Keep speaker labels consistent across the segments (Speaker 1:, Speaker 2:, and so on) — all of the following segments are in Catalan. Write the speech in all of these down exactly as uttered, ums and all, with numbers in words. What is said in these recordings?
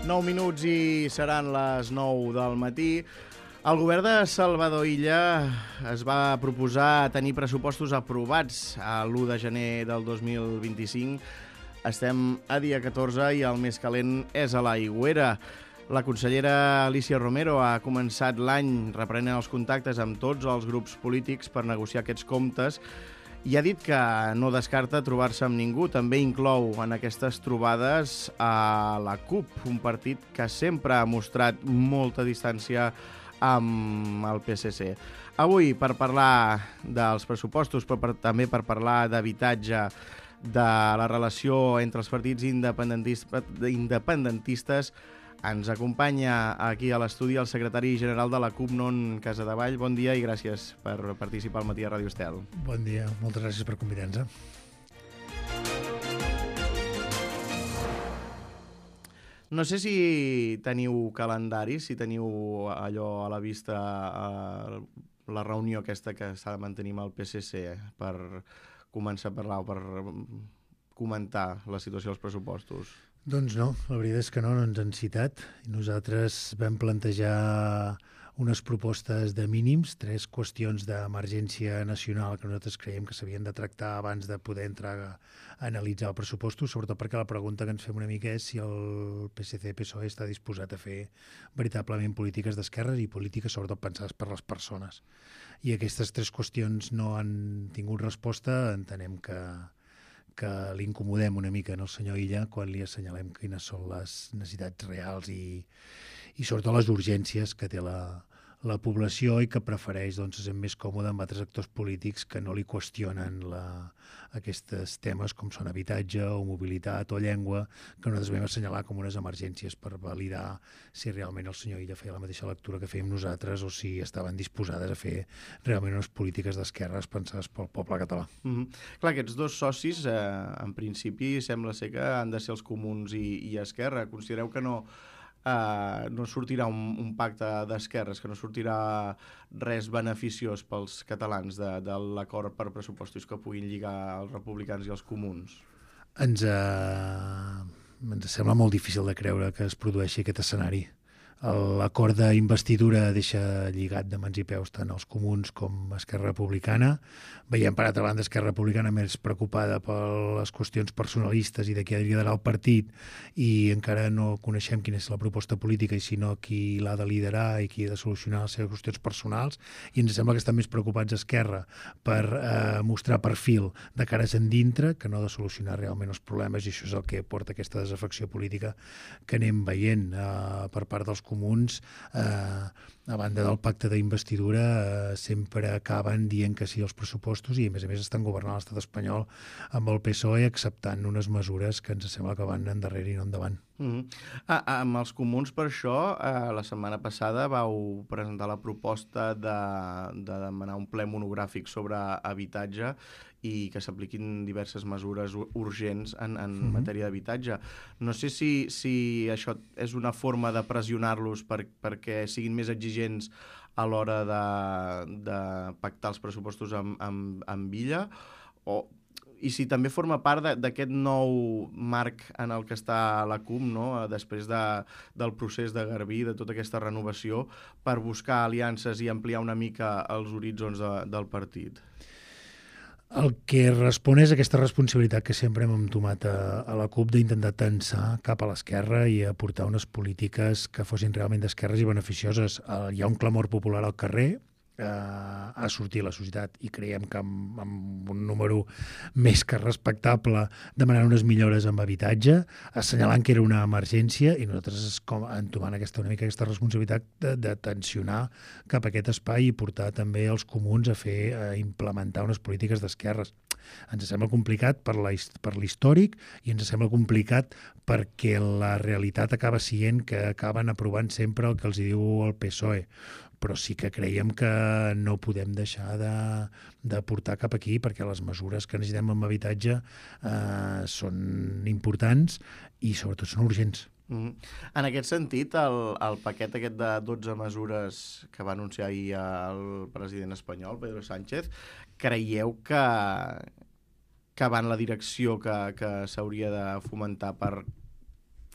Speaker 1: nou minuts i seran les nou del matí. El govern de Salvador Illa es va proposar tenir pressupostos aprovats a l'u de gener del dos mil vint-i-cinc. Estem a dia catorze i el més calent és a l'Aigüera. La consellera Alícia Romero ha començat l'any reprenent els contactes amb tots els grups polítics per negociar aquests comptes i ha dit que no descarta trobar-se amb ningú. També inclou en aquestes trobades a la CUP, un partit que sempre ha mostrat molta distància amb el P S C. Avui, per parlar dels pressupostos, però per, també per parlar d'habitatge, de la relació entre els partits independentistes, independentistes, ens acompanya aquí a l'estudi el secretari general de la CUP, Non Casadevall. Bon dia i gràcies per participar al matí a Ràdio Estel.
Speaker 2: Bon dia, moltes gràcies per convidar-nos.
Speaker 1: No sé si teniu calendari, si teniu allò a la vista, a la reunió aquesta que s'ha de mantenir amb el P S C per començar a parlar o per comentar la situació dels pressupostos.
Speaker 2: Doncs no, la veritat és que no, no ens han citat. Nosaltres vam plantejar unes propostes de mínims, tres qüestions d'emergència nacional que nosaltres creiem que s'havien de tractar abans de poder entrar a analitzar el pressupostos, sobretot perquè la pregunta que ens fem una mica és si el P S C P S O E està disposat a fer veritablement polítiques d'esquerres i polítiques sobretot pensades per les persones. I aquestes tres qüestions no han tingut resposta. Entenem que que l'incomodem una mica en el senyor Illa quan li assenyalem quines són les necessitats reals i, i sobretot les urgències que té la, la població i que prefereix doncs, ser més còmode amb altres actors polítics que no li qüestionen la, aquests temes com són habitatge o mobilitat o llengua, que nosaltres vam assenyalar com unes emergències per validar si realment el senyor Illa feia la mateixa lectura que fèiem nosaltres o si estaven disposades a fer realment unes polítiques d'esquerres pensades pel poble català.
Speaker 1: Mm-hmm. Clar, aquests dos socis, eh, en principi, sembla ser que han de ser els comuns i, i Esquerra. Considereu que no... Uh, no sortirà un, un pacte d'esquerres, que no sortirà res beneficiós pels catalans de, de l'acord per pressupostos que puguin lligar els republicans i els comuns?
Speaker 2: Ens, uh, ens sembla molt difícil de creure que es produeixi aquest escenari. L'acord d'investidura deixa lligat de mans i peus tant els comuns com Esquerra Republicana. Veiem, per altra banda, Esquerra Republicana més preocupada per les qüestions personalistes i de qui ha de liderar el partit i encara no coneixem quina és la proposta política i sinó qui l'ha de liderar i qui ha de solucionar les seves qüestions personals. I ens sembla que estan més preocupats a Esquerra per eh, mostrar perfil de cares endintre que no de solucionar realment els problemes, i això és el que porta aquesta desafecció política que anem veient eh, per part dels comuns. Eh, a banda del pacte d'investidura eh, sempre acaben dient que sí als pressupostos i a més a més estan governant l'estat espanyol amb el P S O E acceptant unes mesures que ens sembla que van endarrere i no endavant.
Speaker 1: Mm-hmm. ah, amb els comuns per això eh, la setmana passada vau presentar la proposta de, de demanar un ple monogràfic sobre habitatge i que s'apliquin diverses mesures urgents en, en mm-hmm. matèria d'habitatge. No sé si, si això és una forma de pressionar-los per, perquè siguin més exigents a l'hora de, de pactar els pressupostos amb, amb, amb Illa, o, i si també forma part d'aquest nou marc en el que està la CUP, no? Després de, del procés de Garbí, de tota aquesta renovació, per buscar aliances i ampliar una mica els horitzons de, del partit.
Speaker 2: El que respon és aquesta responsabilitat que sempre hem entomat a, a la CUP d'intentar tensar cap a l'esquerra i aportar unes polítiques que fossin realment d'esquerres i beneficioses. Uh, hi ha un clamor popular al carrer, Uh, a sortir a la societat i creiem que amb, amb un número més que respectable demanant unes millores amb habitatge, assenyalant que era una emergència, i nosaltres com, entomant aquesta, una mica aquesta responsabilitat de, de tensionar cap a aquest espai i portar també els comuns a fer a implementar unes polítiques d'esquerres. Ens sembla complicat per la, per l'històric i ens sembla complicat perquè la realitat acaba sent que acaben aprovant sempre el que els diu el P S O E. Però sí que creiem que no podem deixar de, de portar cap aquí perquè les mesures que necessitem en habitatge eh, són importants i sobretot són urgents.
Speaker 1: Mm. En aquest sentit, el, el paquet aquest de dotze mesures que va anunciar ahir el president espanyol, Pedro Sánchez, creieu que, que va en la direcció que, que s'hauria de fomentar per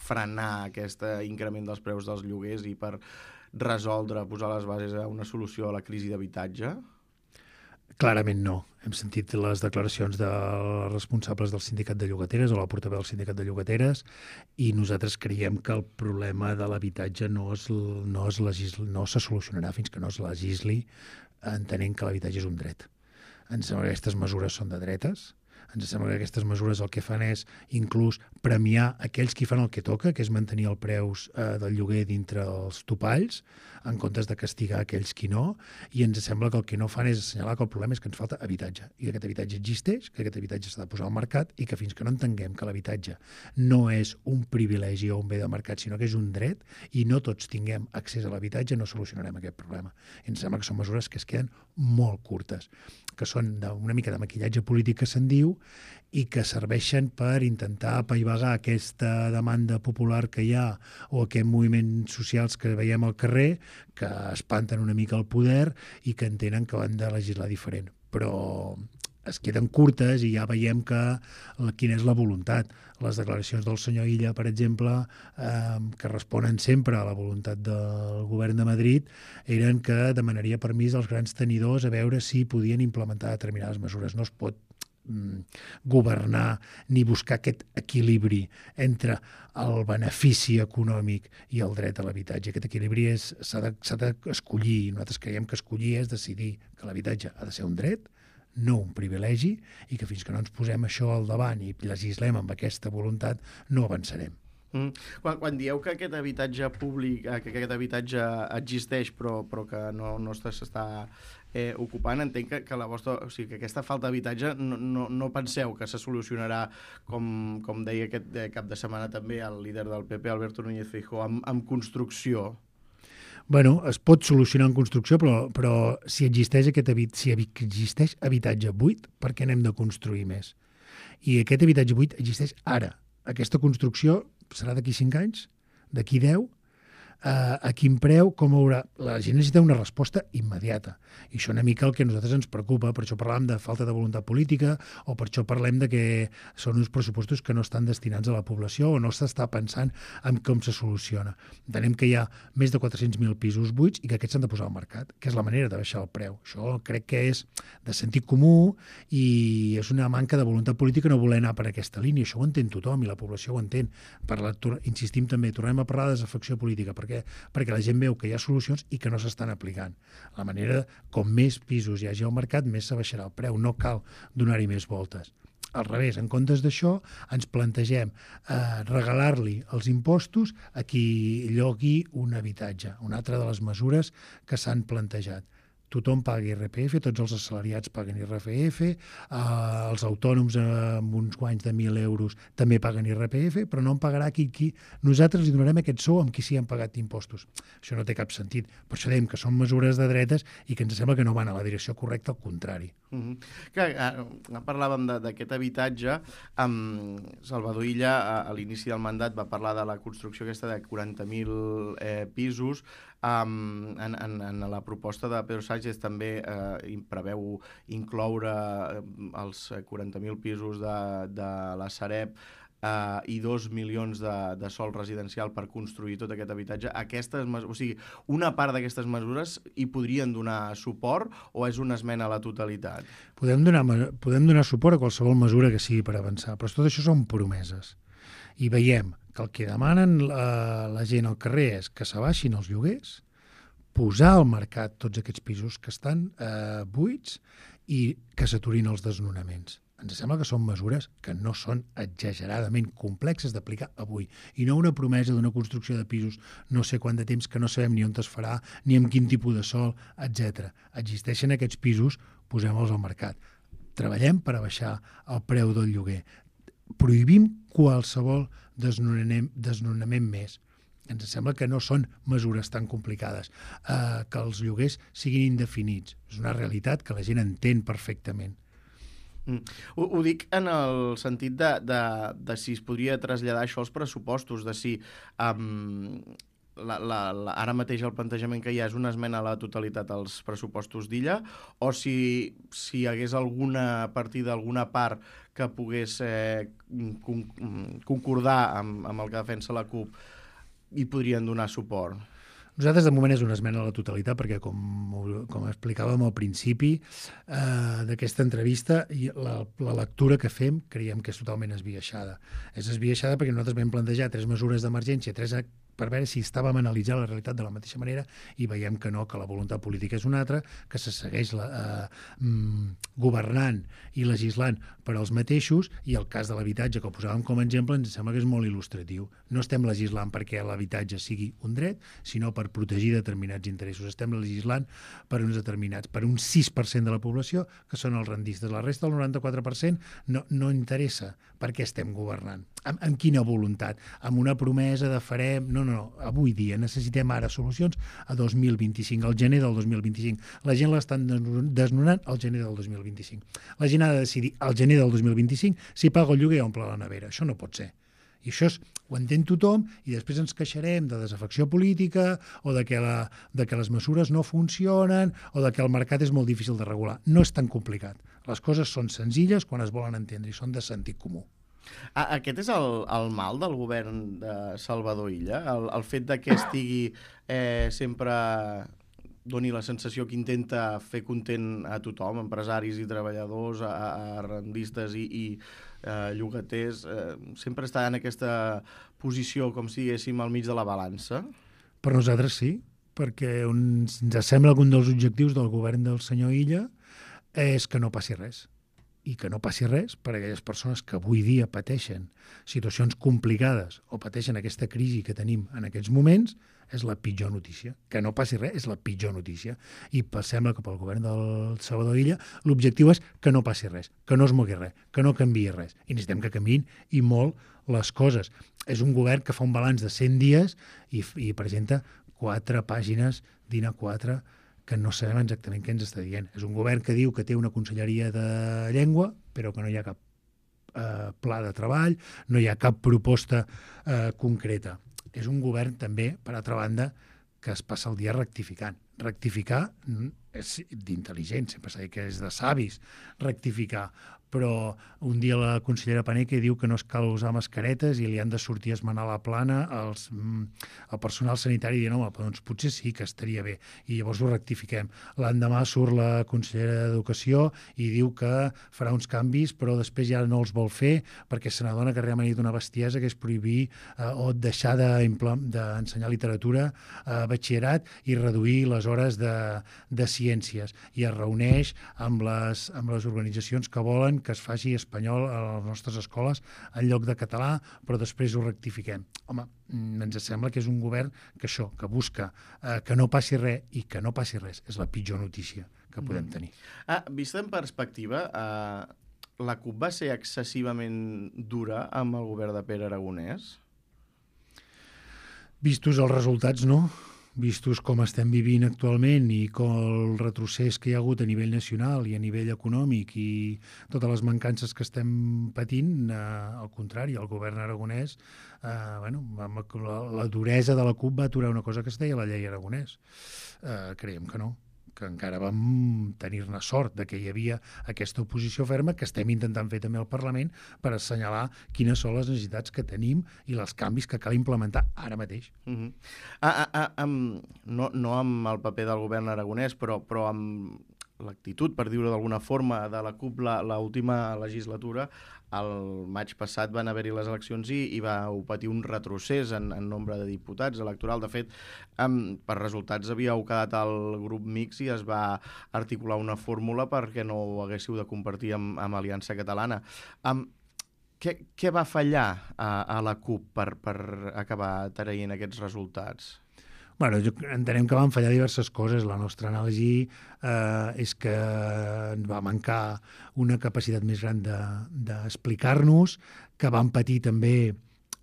Speaker 1: frenar aquest increment dels preus dels lloguers i per resoldre, posar les bases a una solució a la crisi d'habitatge?
Speaker 2: Clarament no. Hem sentit les declaracions dels responsables del sindicat de llogateres o la portaveu del sindicat de llogateres i nosaltres creiem que el problema de l'habitatge no, es, no, es legisli, no se solucionarà fins que no es legisli entenent que l'habitatge és un dret. Ens sembla que aquestes mesures són de dretes. Ens sembla que aquestes mesures el que fan és inclús premiar aquells qui fan el que toca, que és mantenir el preus eh, del lloguer dintre els topalls, en comptes de castigar aquells qui no, i ens sembla que el que no fan és assenyalar que el problema és que ens falta habitatge, i que aquest habitatge existeix, que aquest habitatge s'ha de posar al mercat, i que fins que no entenguem que l'habitatge no és un privilegi o un bé de mercat, sinó que és un dret, i no tots tinguem accés a l'habitatge, no solucionarem aquest problema. I ens sembla que són mesures que es queden molt curtes, que són una mica de maquillatge polític que se'n diu, i que serveixen per intentar apaivagar aquesta demanda popular que hi ha o aquests moviments socials que veiem al carrer, que espanten una mica el poder i que entenen que han de legislar diferent. Però es queden curtes i ja veiem que, quina és la voluntat. Les declaracions del senyor Illa, per exemple, eh, que responen sempre a la voluntat del govern de Madrid, eren que demanaria permís als grans tenidors a veure si podien implementar determinades mesures. No es pot governar ni buscar aquest equilibri entre el benefici econòmic i el dret a l'habitatge. Aquest equilibri s'ha d'escollir, i nosaltres creiem que escollir és decidir que l'habitatge ha de ser un dret, no un privilegi, i que fins que no ens posem això al davant i legislem amb aquesta voluntat no avançarem.
Speaker 1: Mm. Quan, quan dieu que aquest habitatge públic, que aquest habitatge existeix però, però que no, no s'està eh, ocupant, entenc que, que, la vostra, o sigui, que aquesta falta d'habitatge no, no, no penseu que se solucionarà, com, com deia aquest eh, cap de setmana també el líder del P P, Alberto Núñez Feijóo, amb, amb construcció?
Speaker 2: Bueno, es pot solucionar en construcció, però, però si existeix aquest habit, si existeix habitatge buit, per què n'hem de construir més? I aquest habitatge buit existeix ara. Aquesta construcció serà d'aquí cinc anys, d'aquí deu, eh, a quin preu, com haurà... La gent necessita una resposta immediata. I això una mica el que a nosaltres ens preocupa, per això parlàvem de falta de voluntat política, o per això parlem de que són uns pressupostos que no estan destinats a la població o no s'està pensant en com se soluciona. Entenem que hi ha més de quatre-cents mil pisos buits i que aquests s'han de posar al mercat, que és la manera de baixar el preu. Això crec que és de sentit comú i és una manca de voluntat política no voler anar per aquesta línia. Això ho entén tothom i la població ho entén. Parla, insistim també, tornem a parlar de desafecció política, perquè, perquè la gent veu que hi ha solucions i que no s'estan aplicant. La manera, com més pisos hi hagi al mercat, més s'abaixarà el preu. No cal donar-hi més voltes. Al revés, en comptes d'això, ens plantegem eh, regalar-li els impostos a qui llogui un habitatge. Una altra de les mesures que s'han plantejat. Tothom pagui I R P F, tots els assalariats paguen I R P F, eh, els autònoms amb uns guanys de mil euros també paguen I R P F, però no en pagarà qui, qui... Nosaltres li donarem aquest sou amb qui sí han pagat impostos. Això no té cap sentit. Per això dèiem que són mesures de dretes i que ens sembla que no van a la direcció correcta, al contrari.
Speaker 1: Mm-hmm. Que, eh, parlàvem d'aquest habitatge. Um, Salvador Illa, a, a l'inici del mandat, va parlar de la construcció aquesta de quaranta mil eh, pisos. Um, en, en, en la proposta de Pedro Sánchez també eh, preveu incloure els quaranta mil pisos de, de la Sareb eh, i dos milions de, de sòl residencial per construir tot aquest habitatge. Aquestes, o sigui, una part d'aquestes mesures hi podrien donar suport o és una esmena a la totalitat?
Speaker 2: Podem donar, podem donar suport a qualsevol mesura que sigui per avançar, però tot això són promeses. I veiem que el que demanen la, la gent al carrer és que s'abaixin els lloguers, posar al mercat tots aquests pisos que estan eh, buits i que s'aturin els desnonaments. Ens sembla que són mesures que no són exageradament complexes d'aplicar avui i no una promesa d'una construcció de pisos no sé quant de temps que no sabem ni on es farà, ni amb quin tipus de sòl, etcètera. Existeixen aquests pisos, posem-los al mercat. Treballem per abaixar el preu del lloguer. Prohibim qualsevol desnonament, desnonament més. Ens sembla que no són mesures tan complicades, eh, que els lloguers siguin indefinits. És una realitat que la gent entén perfectament.
Speaker 1: Mm. Ho, ho dic en el sentit de, de, de si es podria traslladar això als pressupostos, de si um, la, la, la, ara mateix el plantejament que hi ha és una esmena a la totalitat als pressupostos d'Illa, o si, si hi hagués alguna partida, alguna part que pogués eh, con, concordar amb, amb el que defensa la CUP i podrien donar suport.
Speaker 2: Nosaltres, de moment, és una esmena a la totalitat, perquè, com, com explicàvem al principi eh, d'aquesta entrevista, la, la lectura que fem creiem que és totalment esbiaixada. És esbiaixada perquè nosaltres vam plantejar tres mesures d'emergència, tres per veure si estàvem analitzant la realitat de la mateixa manera, i veiem que no, que la voluntat política és una altra, que se segueix la, eh, mm, governant i legislant per als mateixos, i el cas de l'habitatge, que ho posàvem com a exemple, ens sembla que és molt il·lustratiu. No estem legislant perquè l'habitatge sigui un dret, sinó per protegir determinats interessos. Estem legislant per uns determinats, per un sis per cent de la població, que són els rendistes. La resta, el noranta-quatre per cent, no, no interessa per què estem governant. Amb, amb quina voluntat? Amb una promesa de farem... No, no, no. Avui dia necessitem ara solucions a dos mil vint-i-cinc, al gener del dos mil vint-i-cinc. La gent l'estan desnonant al gener del dos mil vint-i-cinc. La gent ha de decidir al gener del dos mil vint-i-cinc si paga el lloguer o omple la nevera. Això no pot ser. I això és, ho entén tothom, i després ens queixarem de desafecció política o de que, la, de que les mesures no funcionen o de que el mercat és molt difícil de regular. No és tan complicat. Les coses són senzilles quan es volen entendre i són de sentit comú.
Speaker 1: Aquest és el, el mal del govern de Salvador Illa? El, el fet de que estigui eh, sempre... doni la sensació que intenta fer content a tothom, empresaris i treballadors, a, a rendistes i, i eh, llogaters, eh, sempre està en aquesta posició, com si diguéssim, al mig de la balança?
Speaker 2: Per nosaltres sí, perquè uns, ens sembla que un dels objectius del govern del senyor Illa és que no passi res. I que no passi res per a aquelles persones que avui dia pateixen situacions complicades o pateixen aquesta crisi que tenim en aquests moments, és la pitjor notícia. Que no passi res és la pitjor notícia. I sembla que pel govern del Salvador Illa l'objectiu és que no passi res, que no es mogui res, que no canviï res. I necessitem que canviïn i molt les coses. És un govern que fa un balanç de cent dies i, i presenta quatre pàgines d'I N A quatre que no sabem exactament què ens està dient. És un govern que diu que té una conselleria de llengua, però que no hi ha cap eh, pla de treball, no hi ha cap proposta eh, concreta. És un govern també, per altra banda, que es passa el dia rectificant. Rectificar és d'intel·ligent, sempre s'ha dit que és de savis rectificar, però un dia la consellera Paneque diu que no es cal usar mascaretes i li han de sortir a esmenar la plana als, el personal sanitari i diuen, home, doncs potser sí que estaria bé, i llavors ho rectifiquem. L'endemà surt la consellera d'Educació i diu que farà uns canvis, però després ja no els vol fer perquè se n'adona que realment hi ha una bestiesa, que és prohibir eh, o deixar d'ensenyar literatura a batxillerat i reduir les hores de, de ciències, i es reuneix amb les, amb les organitzacions que volen que es faci espanyol a les nostres escoles en lloc de català, però després ho rectifiquem. Home, ens sembla que és un govern que això, que busca eh, que no passi res, i que no passi res és la pitjor notícia que podem tenir.
Speaker 1: Ah, vista en perspectiva, eh, la CUP va ser excessivament dura amb el govern de Pere Aragonès?
Speaker 2: Vistos els resultats, no. Vistos com estem vivint actualment i com el retrocés que hi ha hagut a nivell nacional i a nivell econòmic i totes les mancances que estem patint, eh, al contrari, el govern aragonès, eh, bueno, la, la duresa de la CUP va aturar una cosa que es deia la llei Aragonès. Eh, creiem que no, que encara vam tenir-ne sort de que hi havia aquesta oposició ferma que estem intentant fer també al Parlament per assenyalar quines són les necessitats que tenim i els canvis que cal implementar ara mateix.
Speaker 1: Uh-huh. ah, ah, ah, amb, no, no amb el paper del govern aragonès, però, però amb l'actitud, per dir-ho d'alguna forma, de la CUP l'última legislatura. El maig passat van haver-hi les eleccions i, i va patir un retrocés en, en nombre de diputats electoral. De fet, um, per resultats havíeu quedat al grup mixt i es va articular una fórmula perquè no ho haguéssiu de compartir amb, amb Aliança Catalana. Um, què, què va fallar a, a la CUP per, per acabar traient aquests resultats?
Speaker 2: Bueno, jo entenem que van fallar diverses coses. La nostra anàlisi eh, és que ens va mancar una capacitat més gran d'explicar-nos, de, que van patir també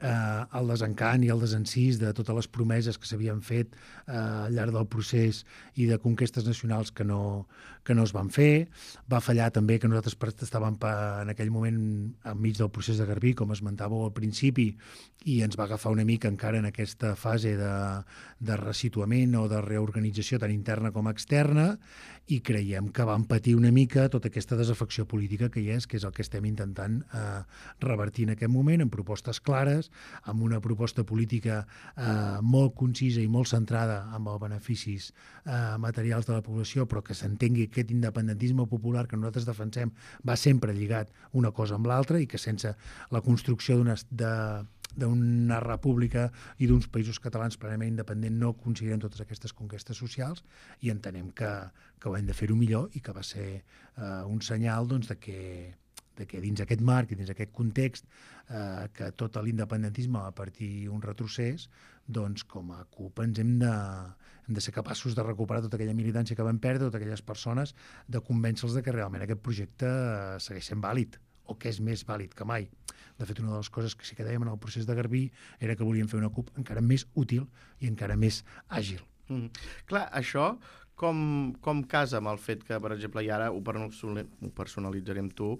Speaker 2: eh, el desencant i el desencís de totes les promeses que s'havien fet eh, al llarg del procés i de conquestes nacionals que no, que no es van fer. Va fallar també que nosaltres estàvem en aquell moment enmig del procés de Garbí, com esmentàveu al principi, i ens va agafar una mica encara en aquesta fase de, de resituament o de reorganització tant interna com externa, i creiem que vam patir una mica tota aquesta desafecció política que hi és, que és el que estem intentant eh, revertir en aquest moment, amb propostes clares, amb una proposta política eh, molt concisa i molt centrada en els beneficis eh, materials de la població, però que s'entengui que aquest independentisme popular que nosaltres defensem va sempre lligat una cosa amb l'altra i que sense la construcció d'una de, d'una república i d'uns països catalans plenament independents no aconseguirem totes aquestes conquestes socials, i entenem que, que ho hem de fer-ho millor i que va ser eh, un senyal doncs, de que de que dins aquest marc i dins aquest context eh, que tot l'independentisme va partir un retrocés, doncs com a CUP ens hem de, hem de ser capaços de recuperar tota aquella militància que vam perdre, totes aquelles persones, de convèncer-los de que realment aquest projecte segueix sent vàlid, o que és més vàlid que mai. De fet, una de les coses que sí que dèiem en el procés de Garbí era que volíem fer una CUP encara més útil i encara més àgil.
Speaker 1: Mm. Clar, això com, com casa amb el fet que, per exemple, i ara ho personalitzarem tu,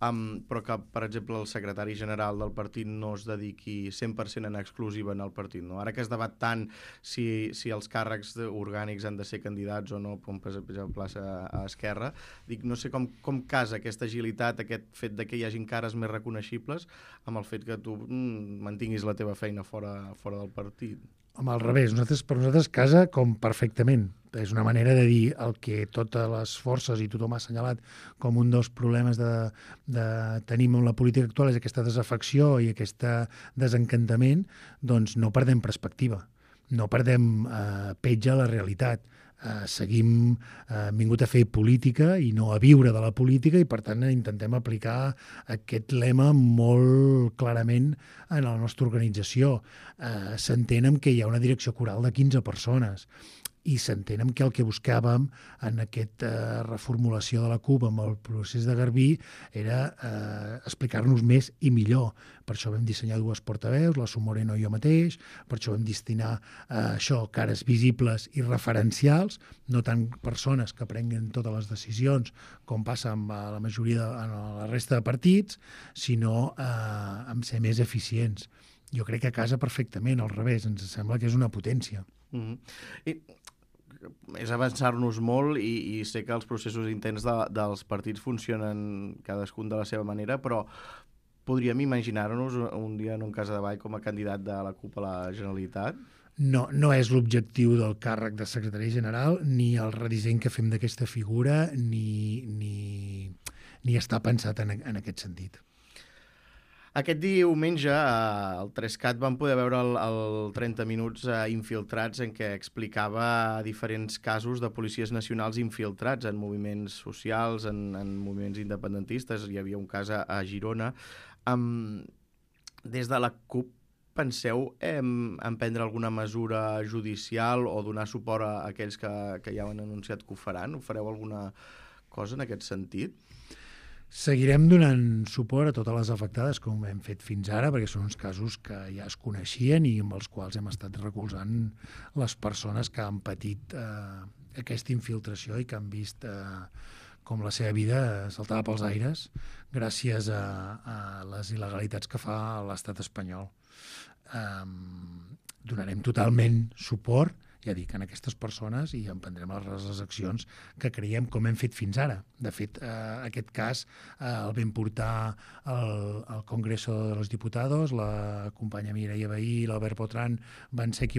Speaker 1: um, però que, per exemple, el secretari general del partit no es dediqui cent per cent en exclusiva en el partit, no? Ara que es debat tant si, si els càrrecs orgànics han de ser candidats o no, com per exemple a, a Esquerra, dic, no sé com, com casa aquesta agilitat, aquest fet de que hi hagin cares més reconeixibles amb el fet que tu mm, mantinguis la teva feina fora, fora del partit.
Speaker 2: Home, al revés, nosaltres, per nosaltres casa com perfectament. És una manera de dir el que totes les forces i tothom ha assenyalat com un dels problemes de, de tenim en la política actual, és aquesta desafecció i aquest desencantament, doncs no perdem perspectiva, no perdem eh, petja a la realitat. Uh, seguim uh, vingut a fer política i no a viure de la política, i per tant intentem aplicar aquest lema molt clarament en la nostra organització. Uh, s'entén que hi ha una direcció coral de quinze persones i s'entén que el que buscàvem en aquesta reformulació de la CUP amb el procés de Garbí era eh, explicar-nos més i millor. Per això vam dissenyar dues portaveus, la Su Moreno i jo mateix, per això vam destinar eh, això, cares visibles i referencials, no tant persones que prenguen totes les decisions com passa amb la majoria de en la resta de partits, sinó eh, amb ser més eficients. Jo crec que casa perfectament, al revés, ens sembla que és una potència.
Speaker 1: Mm-hmm. I és avançar-nos molt i, i sé que els processos interns de, dels partits funcionen cadascun de la seva manera, però podríem imaginar-nos un dia en un cas de ball com a candidat de la CUP a la Generalitat?
Speaker 2: No, no és l'objectiu del càrrec de secretari general, ni el redisseny que fem d'aquesta figura, ni, ni, ni està pensat en, en aquest sentit.
Speaker 1: Aquest diumenge al tres cat vam poder veure el, el trenta minuts infiltrats en què explicava diferents casos de policies nacionals infiltrats en moviments socials, en, en moviments independentistes. Hi havia un cas a, a Girona. Um, des de la CUP penseu en, en prendre alguna mesura judicial o donar suport a aquells que, que ja han anunciat que ho faran? Ho fareu alguna cosa en aquest sentit?
Speaker 2: Seguirem donant suport a totes les afectades, com hem fet fins ara, perquè són uns casos que ja es coneixien i amb els quals hem estat recolzant les persones que han patit eh, aquesta infiltració i que han vist eh, com la seva vida saltava pels aires gràcies a, a les il·legalitats que fa l'estat espanyol. Eh, donarem totalment suport, ja dic, en aquestes persones, i emprendrem les, les accions que creiem com hem fet fins ara. De fet, eh, aquest cas eh, el vam portar al, al Congreso de los Diputados, la companya Mireia Vehí i l'Albert Botran van ser qui van